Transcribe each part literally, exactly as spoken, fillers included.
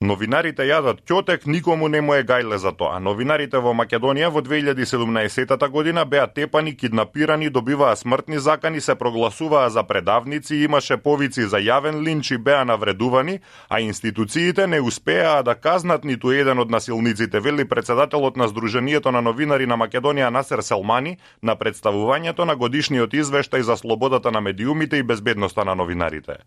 Новинарите јадат ќотек, никому не му е гајле за тоа. Новинарите во Македонија во две илјади и седумнаесета година беа тепани, киднапирани, добиваа смртни закани, се прогласуваа за предавници, имаше повици за јавен линч и беа навредувани, а институциите не успеаа да казнат ниту еден од насилниците, вели председателот на Сдруженијето на новинари на Македонија Насер Селмани на представувањето на годишниот извештај за слободата на медиумите и безбедноста на новинарите.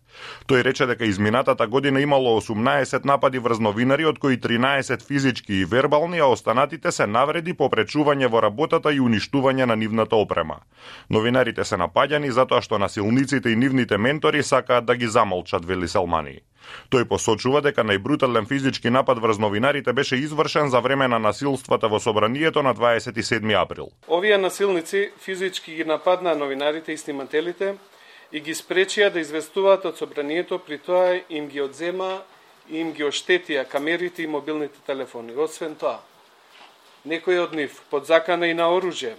Тој рече дека изминатата година имало осумнаесет напади врз новинари, од кои тринаесет физички и вербални, а останатите се навреди, попречување во работата и уништување на нивната опрема. Новинарите се напаѓани затоа што насилниците и нивните ментори сакаат да ги замолчат, вели Селмани. Тој посочува дека најбрутален физички напад врз новинарите беше извршен за време на насилствата во собранието на дваесет и седми април. Овие насилници физички ги нападнаа новинарите и снимателите и ги спречија да известуваат од собранието, при тоа им ги одзема и им ги оштетија камерите и мобилните телефони. Освен тоа, некои од нив под закана и на оружје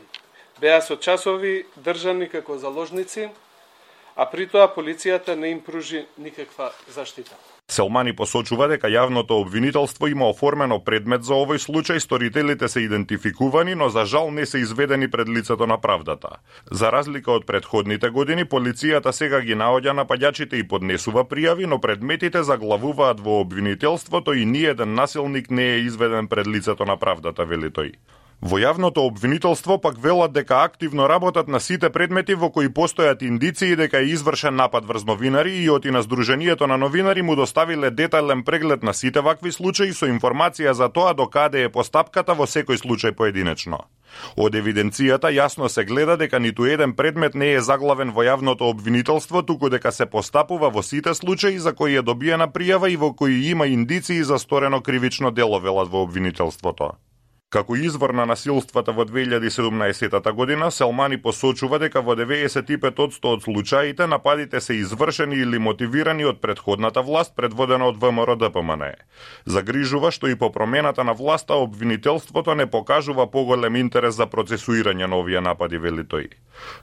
беа со часови држани како заложници, а при тоа полицијата не им пружи никаква заштита. Селмани посочува дека јавното обвинителство има оформено предмет за овој случај, сторителите се идентификувани, но за жал не се изведени пред лицето на правдата. За разлика од предходните години, полицијата сега ги наоѓа напаѓачите и поднесува пријави, но предметите заглавуваат во обвинителството и ниеден насилник не е изведен пред лицето на правдата, вели тој. Во јавното обвинителство пак велат дека активно работат на сите предмети во кои постојат индиции дека е извршен напад врз новинари и оти на Сдруженијето на новинари му доставиле детален преглед на сите вакви случаи со информација за тоа до каде е постапката во секој случај поединечно. Од евиденцијата јасно се гледа дека ниту еден предмет не е заглавен во јавното обвинителство, туку дека се постапува во сите случаи за кои е добиена пријава и во кои има индиции за сторено кривично дело, велат во обвинителството. Како извор на насилствата во две илјади и седумнаесета година, Селмани посочува дека во деветдесет и пет одсто од случаите нападите се извршени или мотивирани од претходната власт, предводена од ВМРО-ДПМНЕ. Загрижува што и по промената на власта обвинителството не покажува поголем интерес за процесуирање на овие напади, вели тој.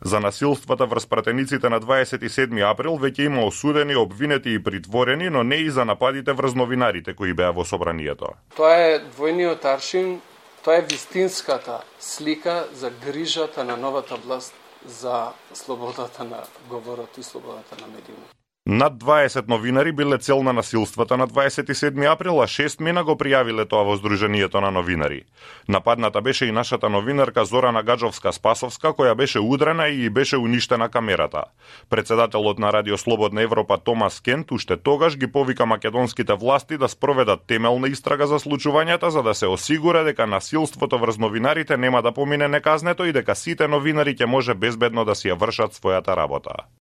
За насилствата врз пратениците на дваесет и седми април веќе има осудени, обвинети и притворени, но не и за нападите врз новинарите кои беа во собранието. Тоа е двојниот аршин. Тоа е вистинската слика за грижата на новата власт за слободата на говорот и слободата на медиумите. Над дваесет новинари биле цел на насилствата на дваесет и седми април, а шест мина го пријавиле тоа во Сдруженијето на новинари. Нападната беше и нашата новинарка Зорана Гаджовска-Спасовска, која беше удрена и беше уништена камерата. Председателот на Радио Слободна Европа Томас Кент уште тогаш ги повика македонските власти да спроведат темелна истрага за случувањата, за да се осигура дека насилството врз новинарите нема да помине неказнето и дека сите новинари ќе може безбедно да си ја вршат својата работа.